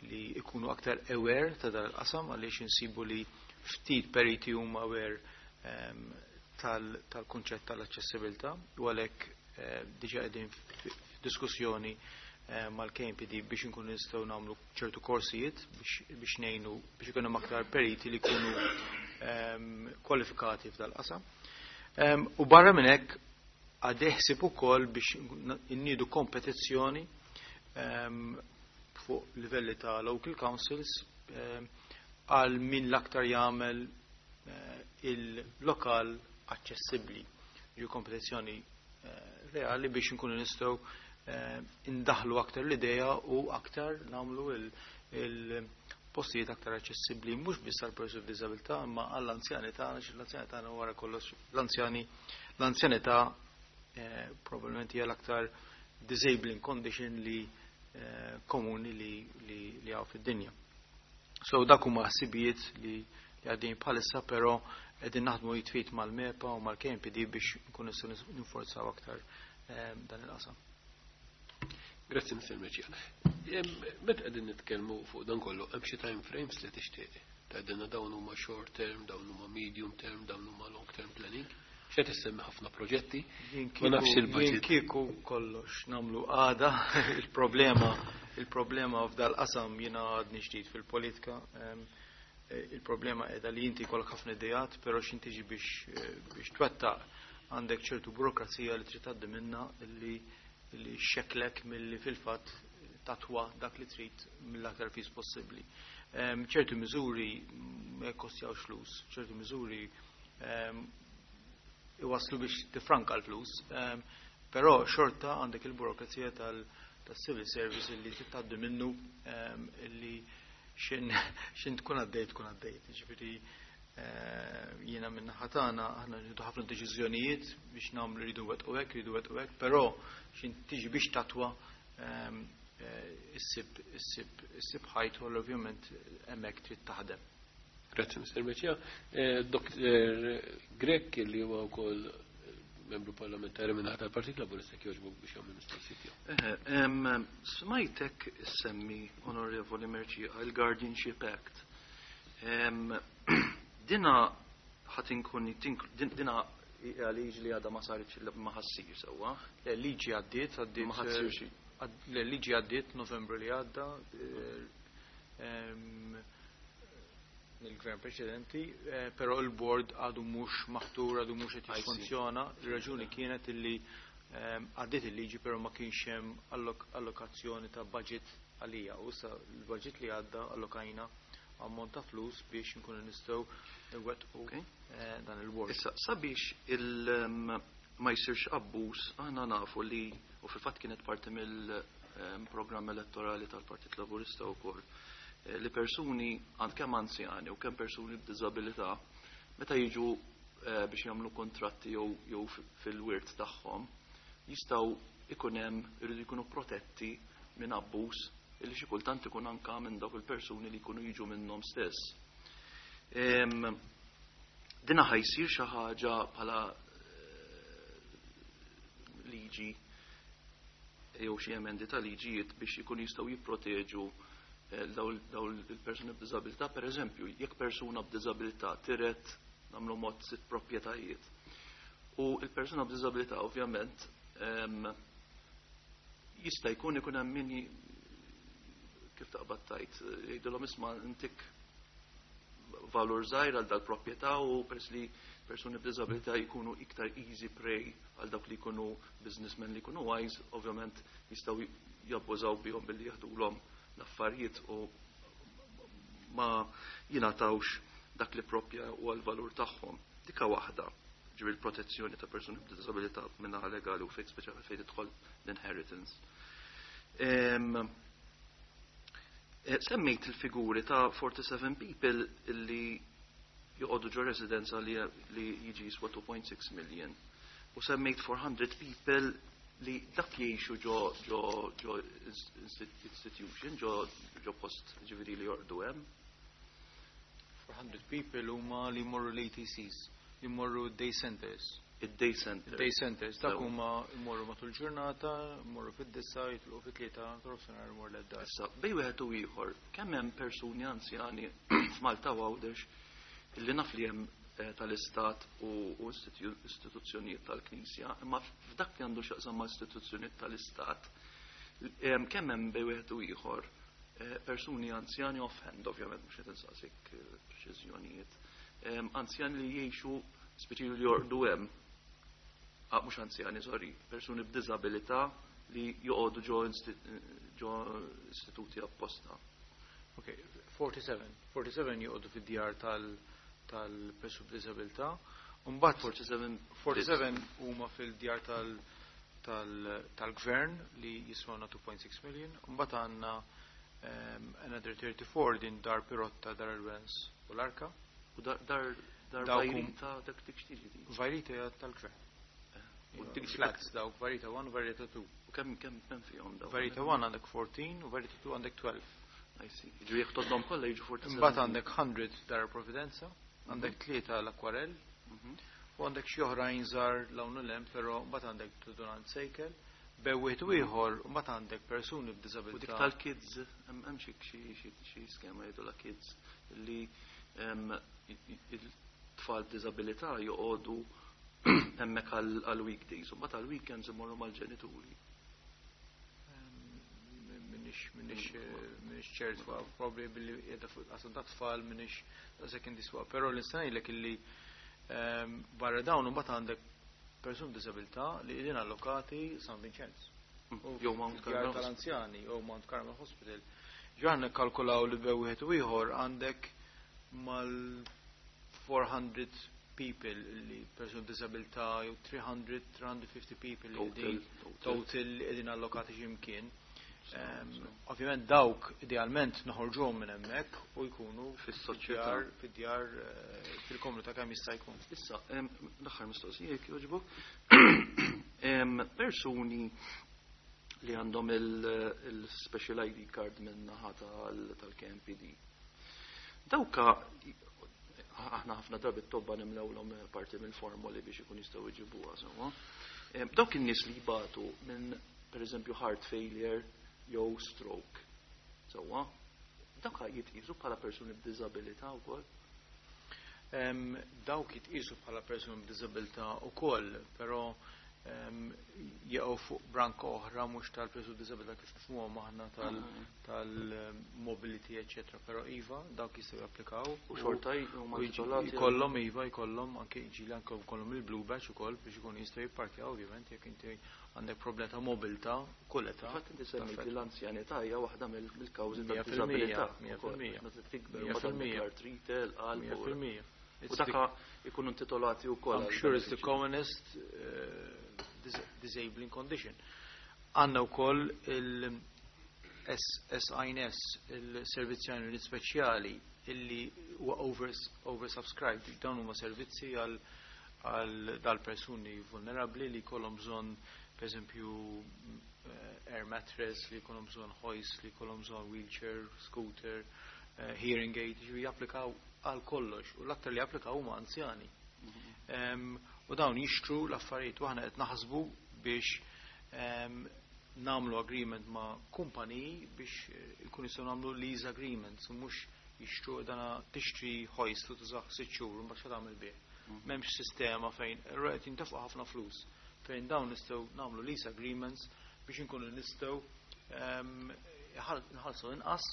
li ikunu aktar aware ta' dan il-qasam, għaliex insibu li ftit periti huma aware ehm, tal-kunċett tal-aċċessibilità, u għalhekk eh, diġà qegħdin f'diskussjoni eh, mal-K M P D biex nkun nistgħu nagħmlu ċertu korsijiet biex ngħinu biex ikun hemm aktar periti li jkunu ehm, kwalifikati f'dal-qasam. Ehm, u barra minn hekk għaddej ħsieb ukoll biex innidu kompetizzjoni ehm, fuq livelli ta' local councils għal min l-aktar jagħmel eh, il-lokal aċċessibbli. Ġu kompetizzjoni eh, reali biex nkunu nistgħu eh, indaħlu aktar l-idea u aktar nagħmlu il-postijiet aktar aċċessibbli, mhux biss għal persuni b'diżabilità imma għall-anzjani tagħna, xi l-anzjani tagħna wara kollox, l-anzjani, l-anzjanità eh, probabbilment hija l-aktar disabling condition li komuni li li li hawn fid-dinja. So dak huma ħsibijiet li li għaddejjin bħalissa, però qegħdin naħdmu id f'id mal-MEPA u mal-K M P D biex nkunu nistgħu ninforzaw aktar ehm, dan il-qasam. Grazzi, Mister Mercieca. Meta qegħdin nitkellmu fuq dan kollu, hemm xi time frames li tixtieq? Tgħidilna dawn huma short term, dawn huma medium term, dawn huma long term planning? X'qed issemmi ħafna proġetti? Ma nafx il-budget. Jien kieku kollox nagħmlu għada. il-problema il-problema f'dal qasam, jiena għadni ġdid fil-politika, ehm, il-problema qiegħda li inti jkollok ħafna ideat, però x'ħin tiġi biex biex twettaq għandek ċertu burokrazija li trid tgħaddi minna li li xeklek milli fil-fatt tatwa dak li trid mill-aktar fis possibbli. Ċertu miżuri ma jikkostjawx flus, ċertu miżuri iwaslu biex tifranka l-flus, però xorta għandek il-burokrazija tal-civil service li tgħaddi minnu, li x'ħin tkun għaddejt tkun għaddejt. Ġifieri Jiena minn naħa tagħna aħna nieħdu ħafna deċiżjonijiet biex nagħmlu rridu wettqu hekk, rridu wettqu hekk, però x'in tiġi biex tattwa issib issib issib ħajt u ovvjament hemmhekk trid taħdem. Grazzi, Mister Mercieca. Doktor Grech, li huwa wkoll membru parlamentari minn tal-Partit Laburista, jogħġbok biex jagħmel mistoqsijiet tiegħu. Smajtek semmi, Onorevoli Mercieca, il-Guardianship Act. Dina ħa tinkun dina liġi li għadha ma saritx, ma ħa ssir sewwa. Le, liġi għaddiet, għaddiet. Ma ħa ssir. Le, liġi għaddiet Novembru li għadda mill-gvern preċedenti, però il-board għadu mhux maħtur, għadu mhux qed jiffunzjona. Il-raġuni kienet illi għaddiet il-liġi però ma kienx hemm allokazzjoni ta' budget għalija. U issa l-budget li għadda allokajna ammont ta' flus biex nkunu nistgħu nwettqu dan il-board. Issa, sabiex il ma jsirx abbuż, aħna nafu li, u fil-fatt kienet parti mill-programm elettorali tal-Partit Laburista wkoll, li persuni għand kemm anzjani u kemm persuni b'diżabilità meta jiġu biex jagħmlu kontratti jew fil-wirt tagħhom jistgħu ikun hemm iridu jkunu protetti minn abbuż illi xi kultant ikun anka minn dawk il-persuni li jkunu jiġu minnhom stess. Dina ħa jsir xi ħaġa bħala liġi jew xi emendi ta' liġijiet biex ikun jistgħu jipproteġu daw il-persuni b'diżabilità? Per eżempju, jekk persuna b'diżabilità tiret, nagħmlu mod, sitt proprjetajiet. U il-persuna b'diżabilità ovvjament jista' jkun ikun hemm min, kif taqbad tajt, jgħidulhom, "Isma', intik valur żgħir għal dal-proprjetà," u peress li persuni b'diżabilità jkunu iktar easy prey għal dawk li jkunu businessmen li jkunu wise, ovvjament jistgħu jabbużaw bihom billi jaħdulhom l-affarijiet u ma jingħatawx dak li propja u għal-valur tagħhom. Dika waħda, ġifieri l-protezzjoni ta' persuni b'diżabilità minna legali u fejn speċjali fejn tidħol l-inheritance. Semmejt il-figuri ta' forty-seven people illi joqogħdu ġo residenza li, li jiġi jiswa two point six million. U semmejt four hundred people li dak jgħixu ġo ġo ġo institution, ġo ġo post, ġifieri li jorqdu hemm. four hundred people huma li jmorru l-A T Cs, li jmorru day centers. Id-day centers. Day centers, dak huma jmorru matul ġurnata, jmorru fid-disgħa, jitilqu fit-tlieta, nofsinhar jmorru lid-dar. Issa, bejn wieħed u ieħor, kemm hemm persuni anzjani f'Malta u Għawdex illi naf li hemm eh, tal-Istat u istituzzjonijiet tal-Knisja, imma f'dak li għandu x'jaqsam ma' istituzzjonijiet tal-Istat, kemm hemm bejn wieħed u ieħor eh, persuni anzjani, offhand ovvjament, mhux qed insaqsik eh, preċiżjonijiet, anzjani li jgħixu, speċi li jorqdu hemm, ah, mhux anzjani, sorry, persuni b'diżabilità li joqogħdu ġo ġo istituti apposta? Ok, forty-seven. forty-seven joqogħdu fid-djar tal tal-persun b'diżabilità. Mbagħad forty-seven. forty-seven huma fil-djar tal tal-gvern li jiswawna two point six million. Mbagħad għandna um, another thirty-four din Dar Pirotta, Dar il-Wens u l-Arka. U dar dar dar Vajrita, dak dik x'tiġi? Vajrita hija tal-gvern. U dik flats dawk, Vajrita one u Vajrita two. U kemm kemm kemm fihom dawk? Vajrita one għandek fourteen u Vajrita two għandek twelve. I see. Ġifieri jekk tgħoddhom kollha jiġu forty-seven. Imbagħad għandek one hundred Dar Providenza, għandek tlieta l-Akwarell, u għandek xi oħrajn żgħar 'l hawn u 'l hemm, però mbagħad għandek Dun Sejkel, bejn wieħed u ieħor, mbagħad għandek persuni U dik b'diżabilità. tal-kids, hemm xi xi xi skema jgħidu kids li il-tfal b'diżabilità joqogħdu hemmhekk għal weekdays u mbagħad għal weekends imorru mal-ġenituri. Minix minix minix ċert fuq, probably billi qiegħda fuq qasam ta' tfal minix daqshekk indiswa, però li nista' ngħidlek illi barra dawn imbagħad għandek persuni b'diżabilità li qegħdin allokati San Vincenz. Jew Mount Carmel. Tal-anzjani jew Mount Carmel Hospital. Ġo kalkulaw li bejn wieħed u ieħor għandek mal four hundred people li persuni b'diżabilità jew three hundred, three hundred fifty people li qegħdin total li qegħdin allokati x'imkien. Ovvjament dawk idealment noħorġuhom minn hemmhekk u jkunu fis-soċjetà, fid-djar, fil-komunità kemm jista' jkun. Issa, l-aħħar mistoqsija jekk jogħġbok. Persuni li għandhom il-Special I D card minn naħa tal-K M P D. Dawka aħna ħafna drabi t-tobba nimlewlhom parti mill-formoli biex ikun jistgħu jġibuha sewwa. Dawk in-nies li jbatu minn pereżempju heart failure jew stroke. Sewwa, dawk jitqisu bħala persuni b'diżabilità wkoll? Dawk jitqisu bħala persuni b'diżabilità wkoll, però jaqgħu fuq branka oħra mhux tal-persuni b'diżabilità kif nifhmuhom aħna tal-mobility eċetera, però iva dawk jistgħu japplikaw. U xorta huma intitolati jkollhom iva jkollhom anke jiġili anke jkollhom il-blue badge ukoll biex ikunu jistgħu jipparkjaw ovvjament jekk inti għandek problema ta' mobilità kull età. Infatti inti semmejt li l-anzjanità hija waħda mill-kawżi tad-diżabilità. Mija fil-mija. Meta tikber Mija fil-mija. l-artrite, l-qalb Mija fil-mija. U daka ikunu intitolati wkoll. I'm sure it's the commonest, uh, disabling condition. Għandna wkoll il-S I N S, il-Servizzi Għajnuni Speċjali, illi huwa oversubscribed. Dawn huma servizzi għal, għal dal-persuni vulnerabbli li jkollhom bżonn, pereżempju, eh, air mattress, li jkollhom bżonn hoist, li jkollhom bżonn wheelchair, scooter, eh, hearing aid, jiġifieri japplikaw għal kollox, u l-aktar li japplikaw huma anzjani. Mhm. U dawn jixtru l-affarijiet u aħna qed naħsbu biex, em, namlu agreement ma' kumpaniji biex, eh, ikun jistgħu nagħmlu lease agreements u mhux jixtru dana tixtri hoist u tużah sitt xhur u mbagħad tagħmel bih. Mhm. M'hemmx sistema fejn qed jintefqu ħafna flus fejn dawn nistgħu nagħmlu lease agreements biex inkunu nistgħu, em, nħallsu inqas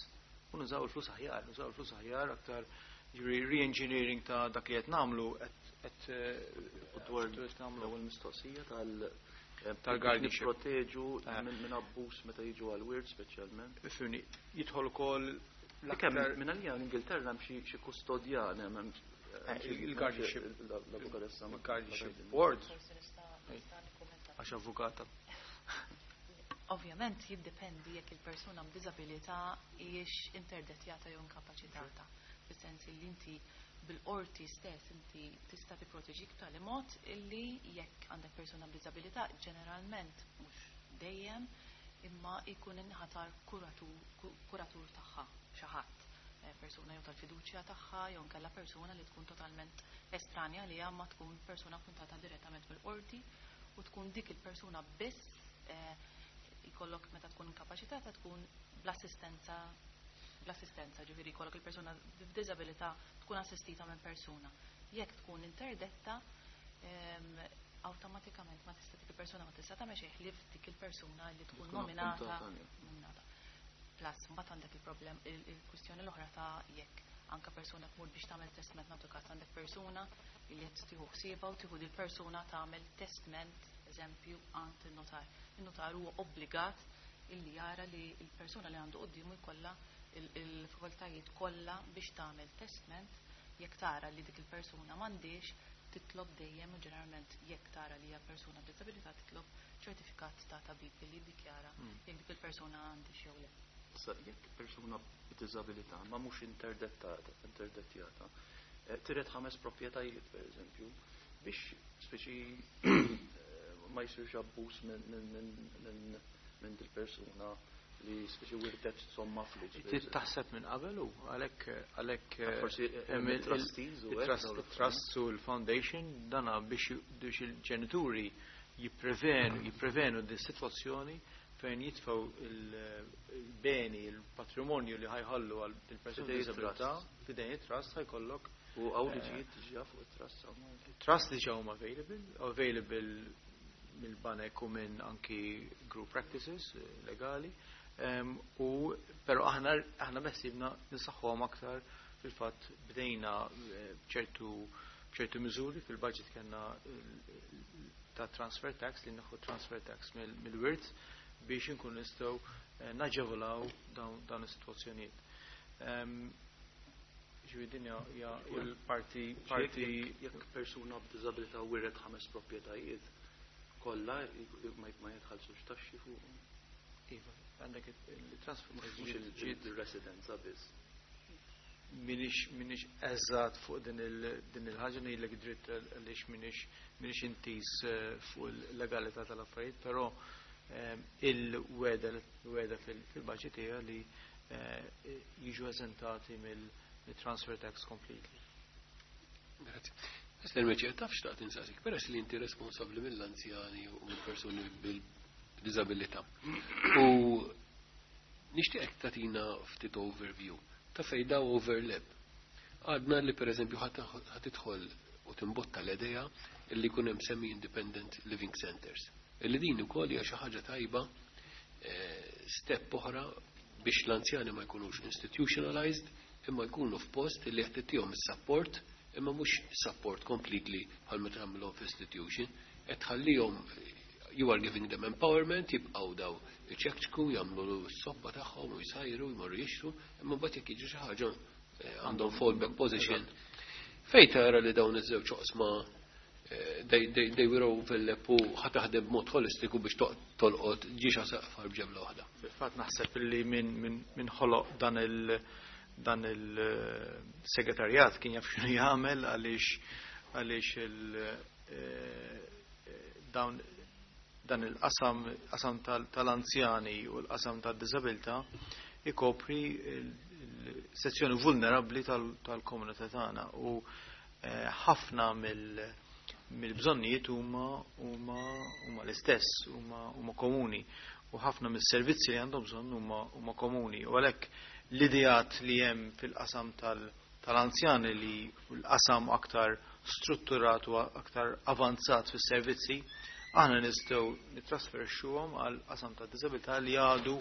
u nużaw il-flus aħjar, nużaw il-flus aħjar aktar ġifieri re-engineering ta' dak li qed nagħmlu qed, qed, U dwar qed nagħmlu l-ewwel mistoqsija tal-, eh, tal-guardianship. Nipproteġu Eh. minn, minn abbuż meta jiġu għal-wirt speċjalment. Ifhimni, jidħol ukoll Kemm l-aktar minn għalija l-Ingilterra hemm xi, xi kustodjan, hemm, hemm, Eh, xi il-guardianship. il-, l-avukatessa ma- Il-guardianship ma- board. Forsi nista', nista' nikkummenta. Għax avukata. Ovvjament jiddependi jekk il-persuna b'diżabilità hijiex interdettjata jew inkapaċitata. Fis-sens li inti bil-qorti stess inti tista' tipproteġik b'tali mod illi jekk għandek persuna b'diżabilità ġeneralment mhux dejjem imma jkun inħatar kuratur, kuratur tagħha xi ħadd, eh, persuna jew tal-fiduċja tagħha jew inkella persuna li tkun totalment estranja li ma tkun persuna appuntata direttament mill-qorti u tkun dik il-persuna biss, eh, jkollok meta tkun inkapaċitata tkun bl-assistenza, bl-assistenza, ġifieri jkollok il-persuna b'diżabilità tkun assistita minn persuna. Jekk tkun interdetta, ehm, awtomatikament ma tista' dik il-persuna ma tista' tagħmel xejn ħlief dik il-persuna li tkun Tkun nominata, appuntata, ja. nominata. Plus, mbagħad għandek il-problem, il-, il-kwistjoni l-oħra ta' jekk anka persuna tmur biex tagħmel testament nagħtu każ għandek persuna li qed tieħu ħsiebha u tieħu dil persuna tagħmel testament, eżempju, għand in-notar. In-notar huwa obbligat illi jara li l-persuna li għandu quddiemu jkollha il-, il-fakultajiet kollha biex tagħmel testament. Jekk tara li dik il-persuna m'għandix, titlob dejjem, u ġeneralment jekk tara li hija persuna b'diżabilità titlob ċertifikat ta' tabib li jiddikjara Hmm. jekk dik il-persuna għandix jew le. Issa, jekk persuna b'diżabilità ma mhux interdettata, interdettjata, eh, tiret ħames proprjetajiet pereżempju, biex speċi eh, ma jsirx abbuż minn, minn, minn, minn, minn dil-persuna li speċi wirtet somma flus, per Trid eżempju. taħseb minn qabel u għalhekk, għalhekk, Ah, forsi hemm hemm il-, il-trustees u hekk il-trust, dawn il-trust u l-foundation dana biex, biex il-ġenituri jipprevenu, jipprevenu din sitwazzjoni fejn jitfgħu il-, il-beni, il-patrimonju li ħajħallu għal il-persuni Fidejn b'diżabilità, it-trust. fidejn it-trust ħajkollok. U għaw eh, liġijiet diġà fuq it-trust hawn. Trust diġà huma available, available mill-banek u minn anki group practices, eh, legali. Em, u però aħna, aħna beħsibna nsaħħuhom aktar. Fil-fatt bdejna, eh, ċertu, ċertu miżuri fil-budget kellna ta' transfer tax li naħu transfer tax mill-, mill-wirt biex inkun nistgħu, eh, naġevolaw dawn, dawn is-sitwazzjonijiet. Em, ġifieri din hija, hija l-parti, parti Jekk, jekk persuna b'diżabilità wiret ħames proprjetajiet kollha ma, ma jitħallsux taxxi fuqhom. Iva, Għandek il-transfer Mhux il-residenza biss. Minix minix eżatt fuq din il-ħaġa, ngħidlek dritt għaliex minix minix intiż fuq il-legalità tal-affarijiet, però il-weda fil-budget hija li jiġu eżentati mill-transfer tax completely. Grazie. Esther Meċi, taf xtaqt insaqsik, peress li inti responsabbli mill-anzjani u mill-persuni bil-disabilità. U nixtieqek tagħtina ftit overview ta' fejn daw overlap. Għadna li per eżempju ħa tidħol u timbotta l-idea illi jkun hemm semi-independent living centers. Illi din ukoll hija xi ħaġa tajba, step oħra biex l-anzjani ma jkunux institutionalized, imma jkunu f'post illi qed tagħtihom is-support, imma mhux support completely bħal meta tagħmilhom f'institution, qed tħallihom, you are giving them empowerment, jibqgħu daw iċekċku, jagħmlu s-soppa tagħhom u jsajru, jmorru jixtru, imma mbagħad jekk jiġri xi ħaġa għandhom fallback position. Fejn tara li dawn iż-żewġ oqsma they, they, they were overlap u ħa taħdem b'mod holistiku biex tolqot ġiex għasafar b'ġebla waħda? Fil-fatt naħseb li min min ħoloq dan il dan il-segretarjat kien jaf x'inhu jagħmel, għaliex għaliex il dawn dan il-qasam qasam tal-anzjani u l-qasam tad-diżabilità ikopri il-sezzjoni vulnerabbli tal-komunità tagħna, u ħafna mill mill-bżonnijiet huma huma huma l-istess, huma huma komuni, u ħafna mis-servizzi li għandhom bżonn huma huma komuni, u għalhekk l-ideat li hemm fil-qasam tal-anzjani li l-qasam aktar strutturat u aktar avanzat fis-servizzi, aħna nistgħu nittrasferixxuhom għal qasam tad-diżabilità li għadu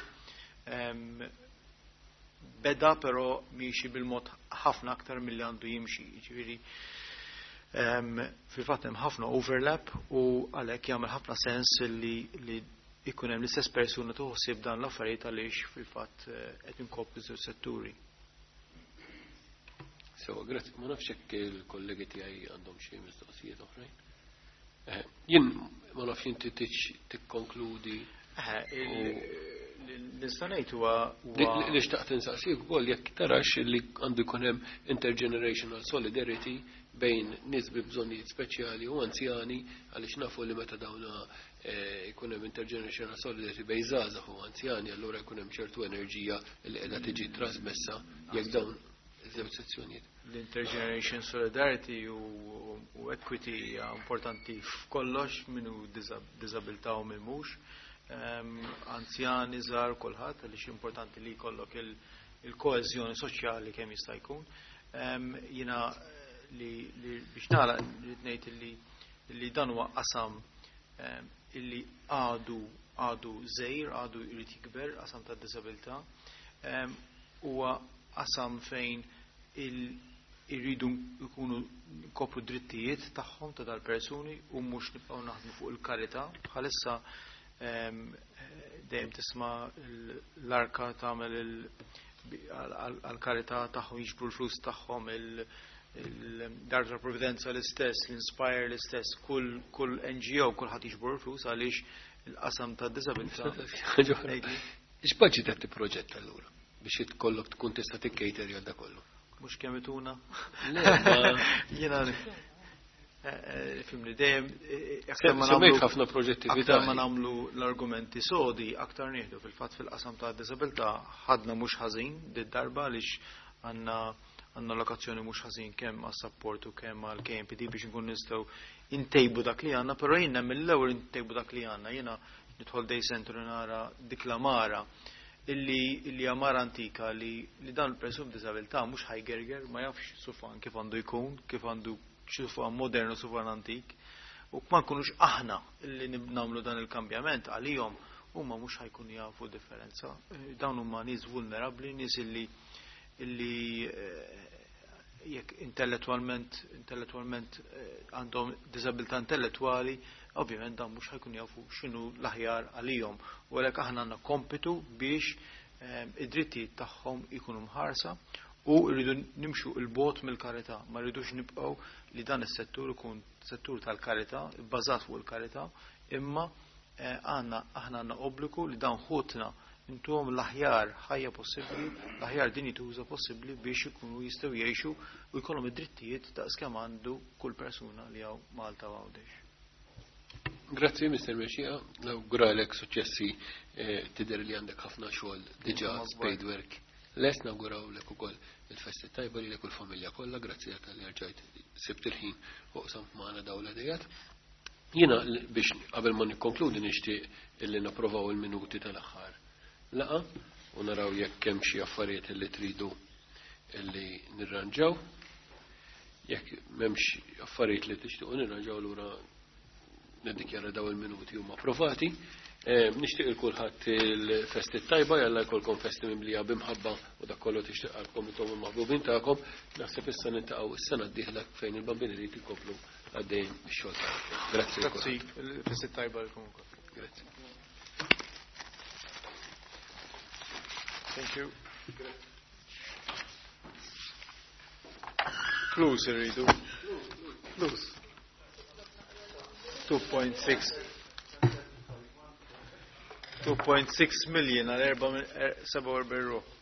beda però miexi bil-mod ħafna aktar milli għandu jimxi. Jiġifieri fil-fatt hemm ħafna overlap u għalhekk jagħmel ħafna sens li li ikun hemm l-istess persuna toħsib dan l-affarijiet, għaliex fil-fatt qed inkopri żewġ setturi. Sewa, grazzi. Ma nafx hekk il-kollegi tiegħi għandhom xi mistoqsijiet oħrajn. Jien ma nafx inti tikkonkludi. Nista' ngħid huwa li xtaqt insaqsik ukoll jekk tarax li għandu jkun hemm intergenerational solidarity bejn nies bi bżonnijiet speċjali u anzjani, għaliex nafu li meta dawna jkun hemm intergenerational solidarity bejn żgħażagħ u anzjani, allura jkun hemm ċertu enerġija li qiegħda tiġi trasmessa jekk dawn iż-żewġ sezzjonijiet. L-intergeneration solidarity u equity hija importanti f'kollox, minnu diżabilità u min mhux. Anzjani, żgħar, kulħadd, għaliex importanti li jkollok il-koeżjoni soċjali kemm jista' jkun. Jiena li biex nagħlaq rrid ngħid li li dan huwa qasam illi għadu għadu żgħir, għadu jrid jikber, qasam tad-diżabilità. Huwa qasam fejn irridu jkunu nkopru drittijiet tagħhom ta' dal-persuni u mhux nibqgħu naħdmu fuq il-karità. Bħalissa dejjem tisma' l-arka tagħmel għall-karità tagħhom, jiġbru l-flus tagħhom, il-Dar tal-Providenza l-istess, l-Inspire l-istess, kull kull N G O kulħadd jiġbru l-flus għaliex il-qasam tad-diżabilità. X'baġit qed tipproġetta allura biex ikollok tkun tista' tikkejter għal da kollu? Mhux kemm ituna? Le, ma jiena fimni dejjem aktar ma semmejt ħafna proġetti aktar vitali. Ma nagħmlu l-argumenti sodi aktar nieħdu. Fil-fatt fil-qasam ta' diżabilità ħadna mhux ħażin did-darba għaliex għandna għandna allokazzjoni mhux ħażin kemm għas-support u kemm għall K M P D biex nkun nistgħu intejbu dak li għandna, però jiena mill-ewwel intejbu dak li għandna. Jiena nidħol day center u nara dik l-amara illi illi amara antika li li dan il-persun b'diżabilità mhux ħajgerger, ma jafx sufan kif għandu jkun, kif għandu sufan modern u sufan antik, u ma nkunux aħna illi nagħmlu dan il-kambjament għalihom, huma mhux ħajkunu jafu differenza. Dawn huma nies vulnerabbli, nies illi illi jekk intellettwalment intellettwalment għandhom diżabilità intellettwali, ovvjament dan mhux ħajkun jafu x'inhu l-aħjar għalihom. U għalhekk aħna għandna kompitu biex id-drittijiet tagħhom ikunu mħarsa u rridu nimxu il-bot mill-karità, ma rridux nibqgħu li dan is-settur ikun settur tal-karità, bbażat fuq il-karità, imma għandna aħna għandna obbligu li dawn ħutna intuhom l-aħjar ħajja possibbli, l-aħjar dinjituża possibbli biex ikunu jistgħu jgħixu u jkollhom id-drittijiet daqs kemm għandu kull persuna li hawn Malta u Għawdex. Grazzi, Mister Mercieca. Nawguralek suċċessi, eh, tidher li għandek ħafna xogħol diġà spade work. Lest nawgurawlek ukoll il-festi tajba lilek u l-familja kollha, grazzi talli rġajt sibt il-ħin u qsamt magħna dawn l-idejat. Jiena biex qabel ma nikkonkludi nixtieq illi napprovaw il-minuti tal-aħħar laqgħa u naraw jekk hemm xi affarijiet illi tridu illi nirranġaw. Jekk m'hemmx affarijiet li tixtiequ nirranġaw lura niddikjara daw il-minuti huma approvati. Eh, nixtieq il kulħadd il-festi tajba, jalla jkollkom festi mimlija b'imħabba u dak kollu tixtieq għalkom intom il-maħbubin tagħkom. Naħseb issa niltaqgħu is-sena d-dieħla fejn il-Bambin irid ikomplu għaddejjin bix-xogħol tagħhom. Grazzi. Grazzi, il-festi tajba lilkom ukoll. Grazzi. Thank you. Flus irridu. Flus. two point six. two point six million għal erba' er, seba' u erbgħin ruħ.